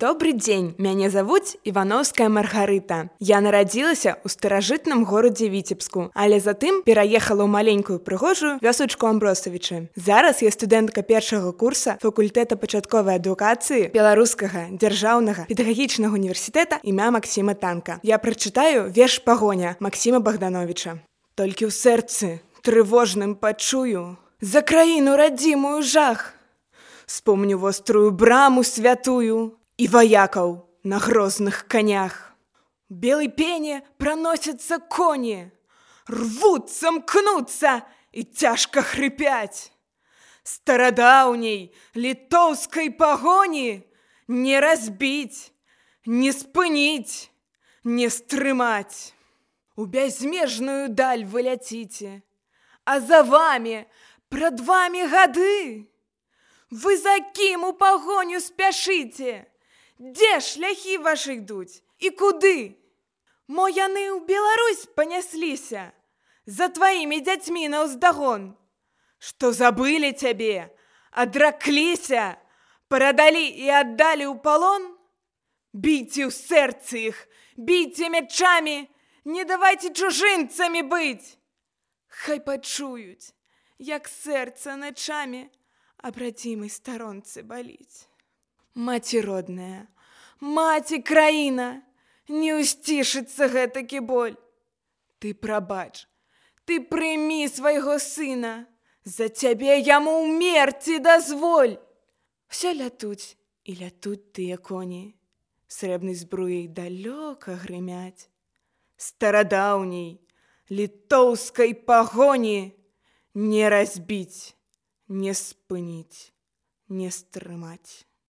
Добрый дзень, мяне завуць Івановская Маргарыта. Я нарадзілася ў старажытным горадзе Віцебску, але затым пераехала ў маленькую прыгожую вёсачку Амбросавічы. Зараз я студэнтка першага курса факультэта пачатковай адукацыі Беларускага дзяржаўнага педагагічнага універсітэта імя Максіма Танка. Я прачытаю верш «Пагоня» Максіма Богдановича. Толькі ў сэрцы трывожным пачую за краіну радзімую жах. Спомню вострую браму святую и вояков на грозных конях. В белой пене проносятся кони, рвутся, мкнутся и тяжко хрипять. Стародавней литовской погони не разбить, не спынить, не стрымать. У бязмежную даль вы летите, а за вами, пред вами гады. Вы за кім у погоню спяшыце? Дзе шляхі вашы ідуць і куды? Мо яны ў Беларусь панясліся за тваімі дзяцьмі наўздагон, што забылі цябе, адракліся, прадалі і аддалі ў палон? Бійце ў сэрцы іх, бійце мячамі, не давайце чужынцамі быць. Хай пачуюць, як сэрца начамі а братимой сторонцы болить. Маці родная, маці краіна, не усцішыцца гэтакі боль. Ты прабач, ты прымі свайго сына, за цябе яму ўмерці дазволь. Все лятуць і лятуць тыя коні, срэбнай збруяй далёка грымяць. Старадаўняй літоўскай пагоні не разбіць, не спыніць, не стрымаць.